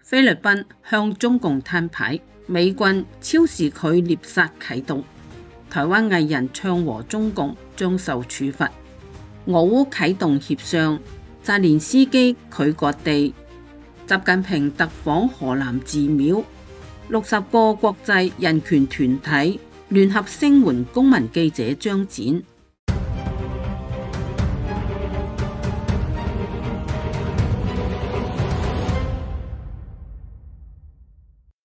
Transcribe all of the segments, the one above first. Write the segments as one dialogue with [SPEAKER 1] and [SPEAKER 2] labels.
[SPEAKER 1] 菲律賓向中共攤牌，美軍超視距獵殺啟動，台灣藝人唱和中共將受處罰，俄烏啟動協商，澤連斯基拒割地，習近平特訪河南寺廟，60個國際人權團體聯合聲援公民記者張展。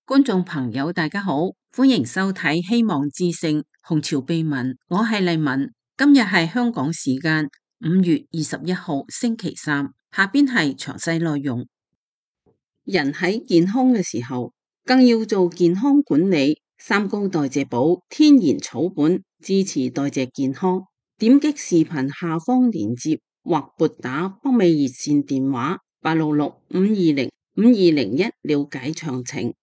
[SPEAKER 1] 觀眾朋友大家好，歡迎收睇希望之聲紅潮秘聞，我係麗文。今日係香港時間5月21號星期三，下邊係詳細內容。人喺健康嘅時候，更要做健康管理。三高代謝寶天然草本支持代謝健康。點擊視頻下方鏈接或撥打北美熱線電話866-520-5201了解詳情。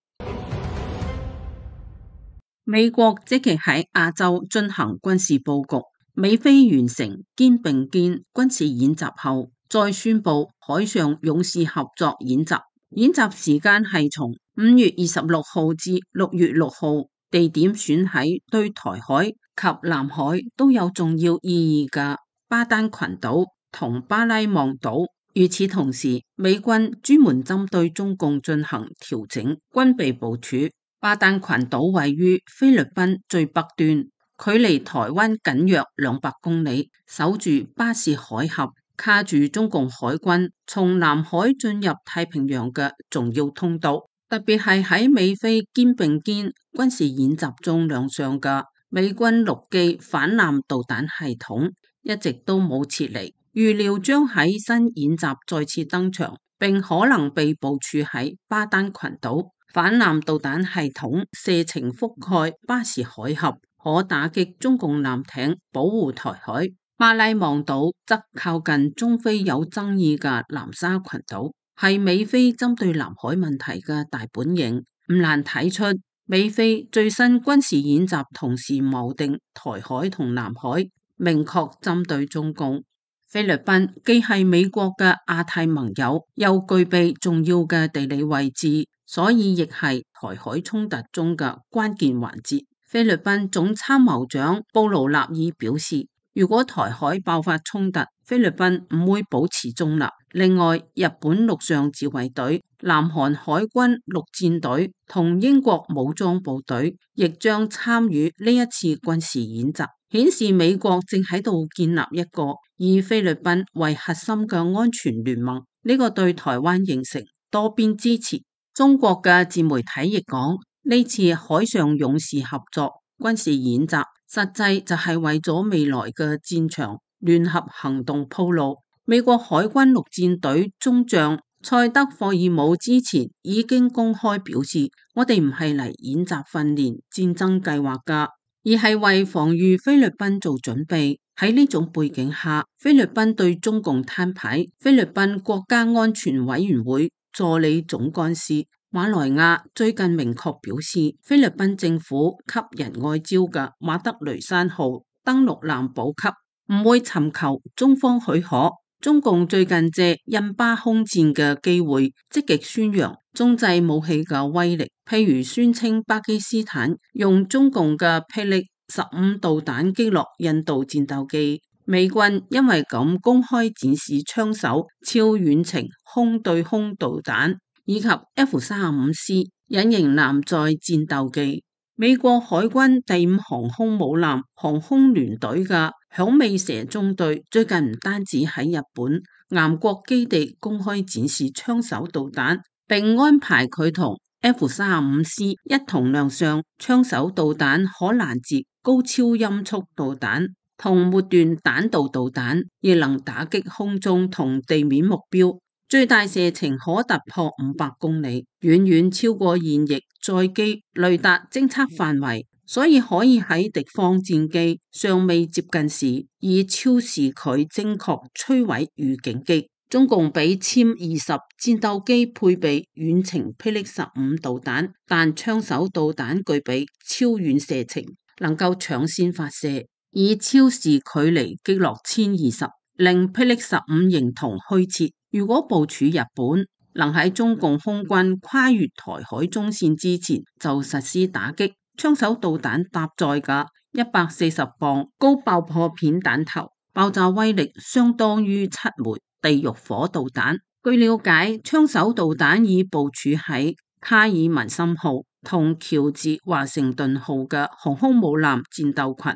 [SPEAKER 1] 美國積極喺亞洲進行軍事佈局，美菲完成肩並肩軍事演習後，再宣布海上勇士合作演習。演習時間係從5月26號至6月6號，地點選喺對台海及南海都有重要意義嘅巴丹群島同巴拉望島。與此同時，美軍專門針對中共進行調整軍備部署。巴丹群島位於菲律賓最北端，距離台灣僅約200公里，守住巴士海峽，卡住中共海軍從南海進入太平洋嘅重要通道。特別係喺美菲肩並肩軍事演習中亮相嘅美軍陸基反艦導彈系統，一直都冇撤離，預料將喺新演習再次登場，並可能被部署喺巴丹群島。反艦導彈系統射程覆蓋巴士海峽，可打擊中共艦艇，保護台海。巴拉望島則靠近中非有爭議嘅南沙群島，係美菲針對南海問題嘅大本營。唔難睇出，美菲最新軍事演習同時錨定台海同南海，明確針對中共。菲律賓既係美國嘅亞太盟友，又具備重要嘅地理位置，所以亦係台海衝突中嘅關鍵環節。菲律賓總參謀長布勞納爾表示，如果台海爆發衝突，菲律賓唔會保持中立。另外，日本陸上自衛隊、南韓海軍陸戰隊同英國武裝部隊亦將參與呢一次軍事演習，顯示美國正喺度建立一個以菲律賓為核心嘅安全聯盟。呢個對台灣形成多邊支持。中國嘅自媒體亦講，呢次海上勇士合作軍事演習，實際就係為咗未來嘅戰場聯合行動鋪路。美國海軍陸戰隊中將塞德霍爾姆之前已經公開表示，我哋唔係嚟演習訓練戰爭計劃㗎，而係為防禦菲律賓做準備。喺呢種背景下，菲律賓對中共攤牌。菲律賓國家安全委員會助理總幹事馬來亞最近明確表示，菲律賓政府給人外招嘅馬德雷山號登陸艦補給唔會尋求中方許可。中共最近借印巴空戰嘅機會，積極宣揚中製武器嘅威力，譬如宣稱巴基斯坦用中共嘅霹靂15導彈擊落印度戰鬥機。美軍因為咁公開展示槍手超遠程空對空導彈以及 F-35C 隱形艦載戰鬥機。美國海軍第5航空母艦航空聯隊嘅響尾蛇中隊最近唔單止喺日本岩國基地公開展示槍手導彈，並安排佢同 F-35C 一同亮相。槍手導彈可攔截高超音速導彈同末段彈道導彈，亦能打擊空中同地面目標，最大射程可突破500公里，遠遠超過現役載機雷達偵測範圍，所以可以喺敵方戰機尚未接近時，以超視距精確摧毀預警機。中共比殲20戰鬥機配備遠程霹靂15導彈，但槍手導彈具備超遠射程，能夠搶先發射，以超視距離擊落殲20，令霹靂15形同虛設。如果部署日本，能喺中共空軍跨越台海中線之前就實施打擊。槍手導彈搭載嘅140磅高爆破片彈頭，爆炸威力相當於7枚地獄火導彈。據了解，槍手導彈已部署喺卡爾文森號同喬治華盛頓號嘅航空母艦戰鬥群。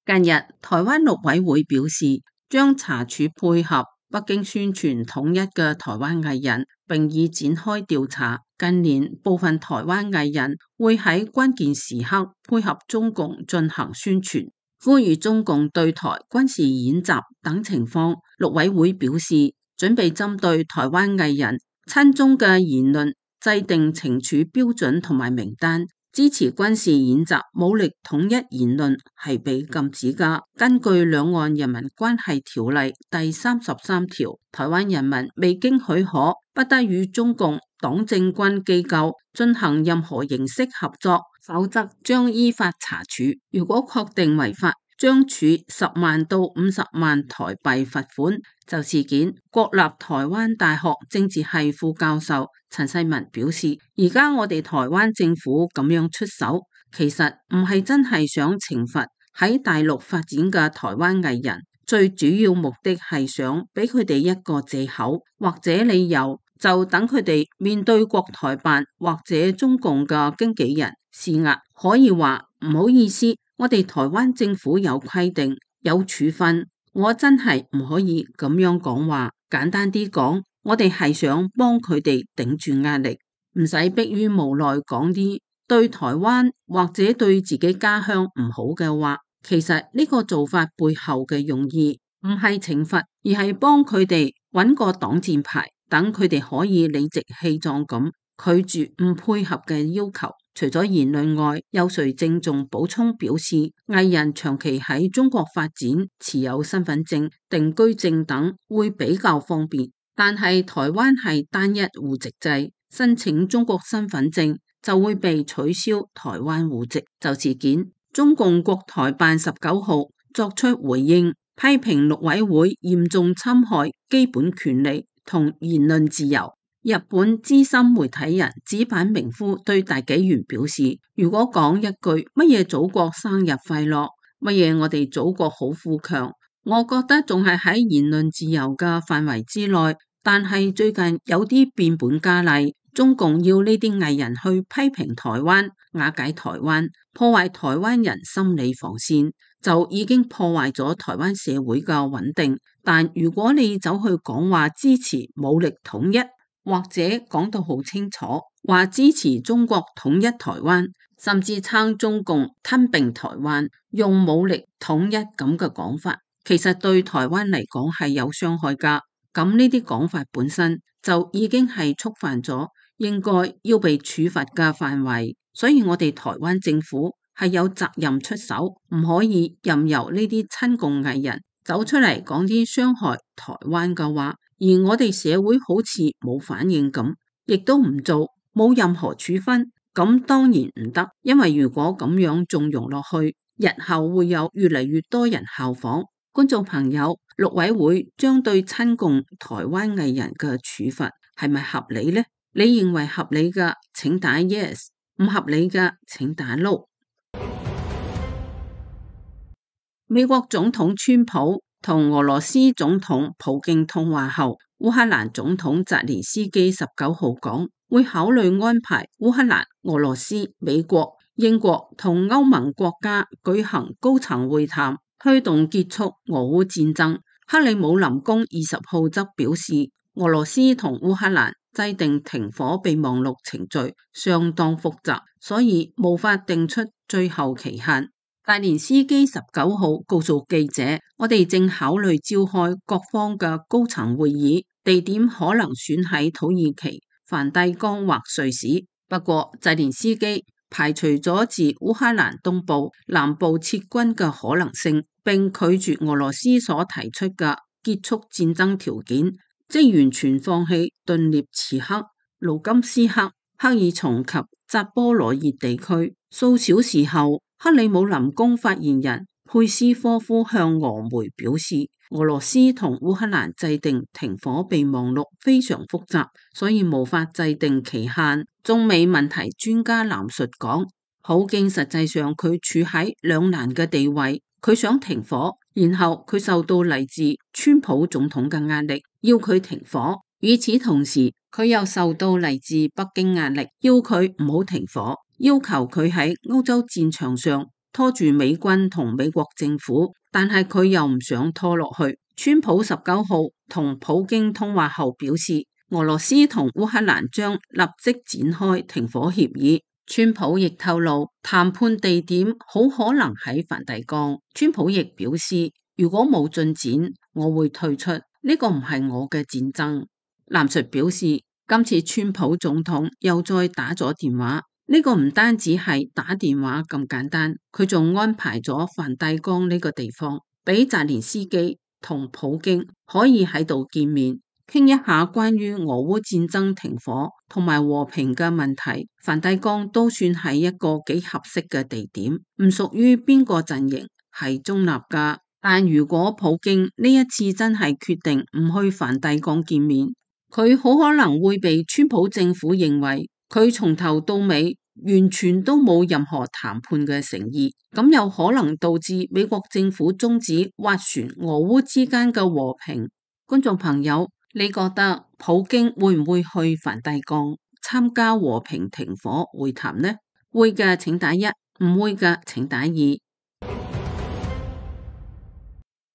[SPEAKER 1] 近日，台灣陸委會表示，將查處配合北京宣傳統一嘅台灣藝人，並已展開調查。近年，部分台灣藝人會喺關鍵時刻配合中共進行宣傳，呼籲中共對台軍事演習等情況。陸委會表示，準備針對台灣藝人親中嘅言論，制定懲處標準同埋名單。支持軍事演習、武力統一言論係被禁止㗎。根據《兩岸人民關係條例》第33條，台灣人民未經許可，不得與中共黨政軍機構進行任何形式合作，否則將依法查處。如果確定違法，將處10萬到50萬台幣罰款。就事件，國立台灣大學政治系副教授陳世文表示，而家我哋台灣政府咁樣出手，其實唔係真係想懲罰喺大陸發展嘅台灣藝人，最主要目的係想俾佢哋一個藉口或者理由，就等佢哋面對國台辦或者中共嘅經紀人施壓，可以話唔好意思，我哋台灣政府有規定有處分。我真係唔可以咁樣講話，簡單啲講，我哋係想幫佢哋頂住壓力，唔使迫於無奈講啲對台灣或者對自己家鄉唔好嘅話。其實呢個做法背後嘅用意唔係懲罰，而係幫佢哋揾個擋箭牌，等佢哋可以理直氣壯咁拒絕唔配合嘅要求。除咗言論外，有誰正仲補充表示，藝人長期喺中國發展，持有身份證、定居證等會比較方便。但係台灣係單一戶籍制，申請中國身份證就會被取消台灣戶籍。就事件，中共國台辦19號作出回應，批評陸委會嚴重侵害基本權利同言論自由。日本資深媒體人紙板明夫對大紀元表示，如果講一句乜嘢祖國生日快樂，乜嘢我哋祖國好富強，我覺得仲係喺言論自由嘅範圍之內。但係最近有啲變本加厲，中共要呢啲藝人去批評台灣、瓦解台灣、破壞台灣人心理防線，就已經破壞咗台灣社會嘅穩定。但如果你走去講話支持武力統一，或者講到好清楚，話支持中國統一台灣，甚至撐中共吞併台灣，用武力統一咁嘅講法，其實對台灣嚟講係有傷害㗎。咁呢啲講法本身就已經係觸犯咗應該要被處罰嘅範圍，所以我哋台灣政府係有責任出手，唔可以任由呢啲親共藝人走出嚟講啲傷害台灣嘅話。而我哋社會好似冇反應咁，亦都唔做，冇任何處分，咁當然唔得。因為如果咁樣縱容落去，日後會有越嚟越多人效仿。觀眾朋友，陸委會將對親共台灣藝人嘅處罰係咪合理呢？你認為合理嘅請打 yes， 唔合理嘅請打 no。美國總統川普同俄羅斯總統普京通話後，烏克蘭總統澤連斯基19號講，會考慮安排烏克蘭、俄羅斯、美國、英國同歐盟國家舉行高層會談，推動結束俄烏戰爭。克里姆林宮20號則表示，俄羅斯同烏克蘭制定停火備忘錄程序相當複雜，所以無法定出最後期限。澤連斯基19號告訴記者，我哋正考慮召開各方嘅高層會議，地點可能選喺土耳其、梵蒂岡或瑞士。不過，澤連斯基排除咗自烏克蘭東部、南部撤軍嘅可能性，並拒絕俄羅斯所提出嘅結束戰爭條件，即完全放棄頓涅茨克、盧甘斯克、克爾松及扎波羅熱地區。數小時後，克里姆林宮發言人佩斯科夫向俄媒表示，俄羅斯同烏克蘭制定停火備忘錄非常複雜，所以無法制定期限。中美問題專家藍述講，普京實際上佢處喺兩難嘅地位，佢想停火，然後佢受到嚟自川普總統嘅壓力，要佢停火。與此同時，佢又受到嚟自北京壓力，要佢唔好停火，要求佢喺歐洲戰場上拖住美軍同美國政府，但係佢又唔想拖落去。川普19號同普京通話後表示，俄羅斯同烏克蘭將立即展開停火協議。川普亦透露，談判地點好可能喺梵蒂岡。川普亦表示，如果冇進展，我會退出，呢個唔係我嘅戰爭。藍述表示，今次川普總統又再打咗電話，呢個唔單止係打電話咁簡單，佢仲安排咗梵蒂岡呢個地方，俾澤連斯基同普京可以喺度見面，傾一下關於俄烏戰爭停火同埋和平嘅問題。梵蒂岡都算係一個幾合適嘅地點，唔屬於邊個陣營，係中立噶。但如果普京呢一次真係決定唔去梵蒂岡見面，佢好可能會被川普政府認為佢從頭到尾完全都冇任何談判嘅誠意，咁有可能導致美國政府終止斡旋俄烏之間嘅和平。觀眾朋友，你覺得普京會唔會去梵蒂岡參加和平停火會談呢？會嘅請打1，唔會嘅請打2。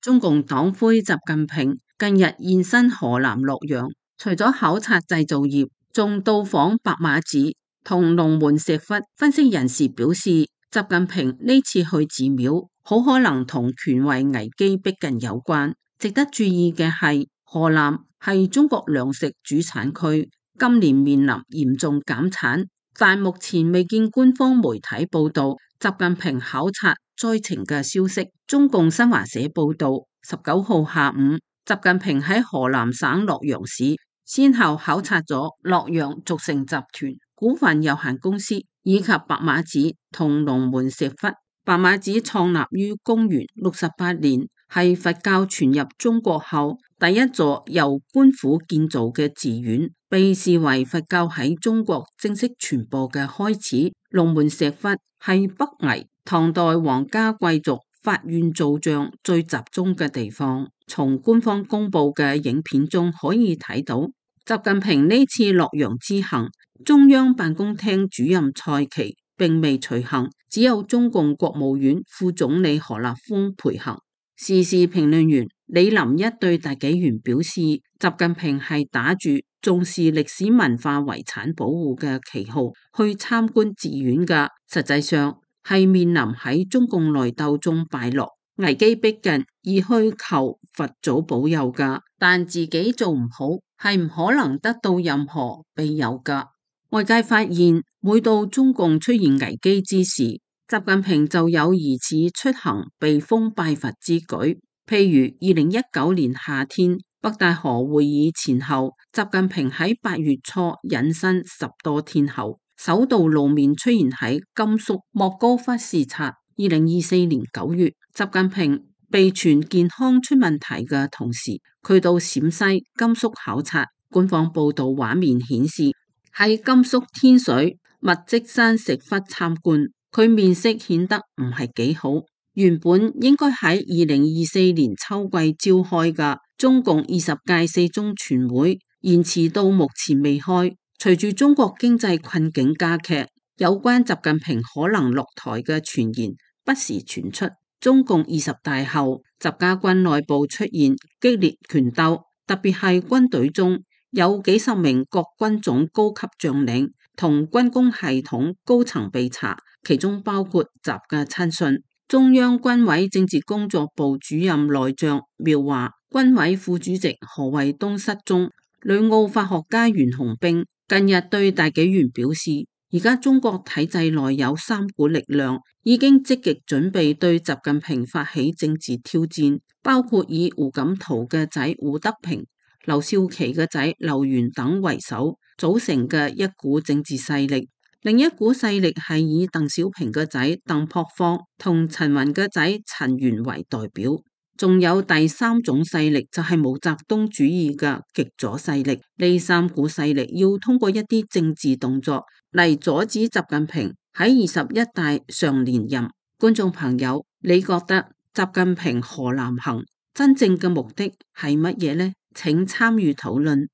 [SPEAKER 1] 中共黨魁習近平近日現身河南洛陽，除咗考察製造業，仲到訪白馬寺同龍門石窟。分析人士表示，習近平呢次去寺廟，好可能同權位危機逼近有關。值得注意嘅係，河南係中國糧食主產區，今年面臨嚴重減產，但目前未見官方媒體報道習近平考察災情嘅消息。中共新華社報道，19號下午，習近平喺河南省洛陽市先後考察咗洛陽續成集團股份有限公司以及白馬寺同龍門石窟。白馬寺創立於公元68年，係佛教傳入中國後第一座由官府建造嘅寺院，被視為佛教喺中國正式傳播嘅開始。龍門石窟係北魏唐代皇家貴族法院造像最集中嘅地方。從官方公布嘅影片中可以睇到，習近平呢次洛陽之行，中央辦公廳主任蔡奇並未隨行，只有中共國務院副總理何立峰陪行。時事評論員李林一對大紀元表示，習近平係打住重視歷史文化遺產保護嘅旗號去參觀寺院嘅，實際上係面臨喺中共內鬥中敗落，危機逼近而去求佛祖保佑噶，但自己做唔好係唔可能得到任何庇佑噶。外界發現，每到中共出現危機之時，習近平就有疑似出行避風拜佛之舉。譬如2019年夏天北戴河會議前後，習近平喺8月初隱身10多天後，首度露面出現喺甘肅莫高窟視察。2024年9月，習近平被傳健康出問題嘅同時，佢到陝西、甘肅考察。官方報道畫面顯示，喺甘肅天水密積山石窟參觀，佢面色顯得唔係幾好。原本應該喺2024年秋季召開嘅中共20屆四中全會，延遲到目前未開。隨住中國經濟困境加劇，有關習近平可能落台嘅傳言不時傳出。中共20大後，習家軍內部出現激烈權鬥，特別係軍隊中有幾十名各軍種高級將領同軍工系統高層被查，其中包括習嘅親信。中央軍委政治工作部主任內將苗華、軍委副主席何衛東失蹤。旅澳法學家袁洪兵近日對大紀元表示，而家中國體制內有3股力量已經積極準備對習近平發起政治挑戰，包括以胡錦濤嘅仔胡德平、劉少奇嘅仔劉源等為首組成嘅一股政治勢力，另一股勢力係以鄧小平嘅仔鄧樸方同陳雲嘅仔陳元為代表。仲有第三種勢力就係毛澤東主義嘅極左勢力。呢三股勢力要通過一啲政治動作嚟阻止習近平喺21大上連任。觀眾朋友，你覺得習近平河南行真正嘅目的係乜嘢呢？請參與討論。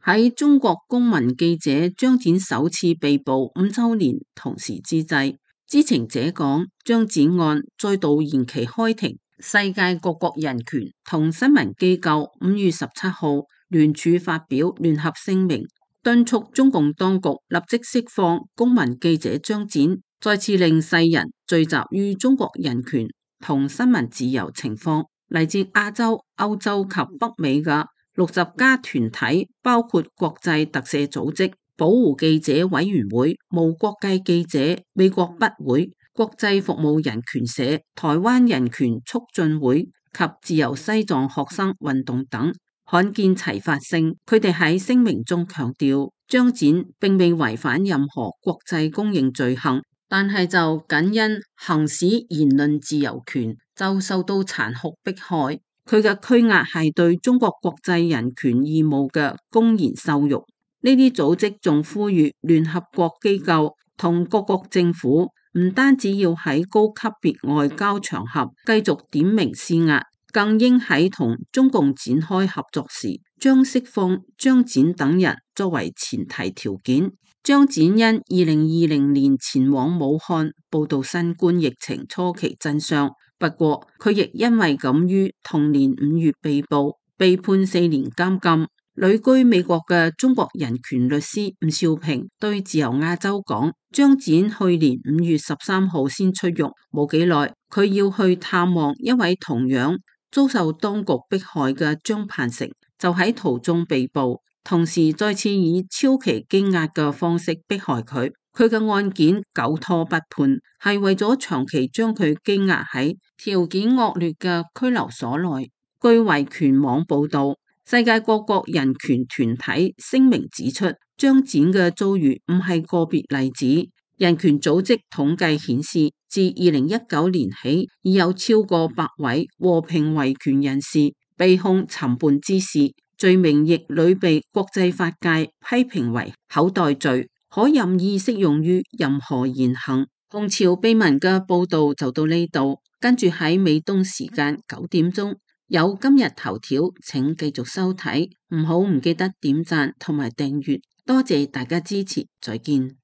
[SPEAKER 1] 喺中國公民記者張展首次被捕5週年同時之際，知情者講，張展案再度延期開庭。世界各國人權同新聞機構5月17號聯署發表聯合聲明，敦促中共當局立即釋放公民記者張展，再次令世人聚集於中國人權同新聞自由情況。嚟自亞洲、歐洲及北美嘅60家團體，包括國際特赦組織、保護記者委員會、無國界記者、美國筆會、國際服務人權社、台灣人權促進會及自由西藏學生運動等，罕見齊發聲。佢哋喺聲明中強調，張展並未違反任何國際公認罪行，但係就僅因行使言論自由權就受到殘酷迫害。佢嘅拘押係對中國國際人權義務嘅公然羞辱。呢啲組織仲呼籲聯合國機構同各國政府唔單止要喺高級別外交場合繼續點名施壓，更應喺同中共展開合作時，將釋放張展等人作為前提條件。張展因2020年前往武漢報道新冠疫情初期真相，不過佢亦因為敢於同年5月被捕，被判4年監禁。旅居美國嘅中國人權律師吳少平對自由亞洲講，張展去年5月13號先出獄，冇幾耐佢要去探望一位同樣遭受當局迫害嘅張盼成，就喺途中被捕，同時再次以超期羈押嘅方式迫害佢。佢嘅案件久拖不判，係為咗長期將佢羈押喺條件惡劣嘅拘留所內。據維權網報道，世界各國人權團體聲明指出，張展嘅遭遇唔係個別例子。人權組織統計顯示，自2019年起，已有超過100位和平維權人士被控尋叛滋事，罪名亦屢被國際法界批評為口袋罪，可任意適用於任何言行。紅潮秘聞嘅報道就到呢度，跟住喺美東時間9點鐘有今日頭條，請繼續收睇，唔記得點讚同埋訂閱，多謝大家支持，再見。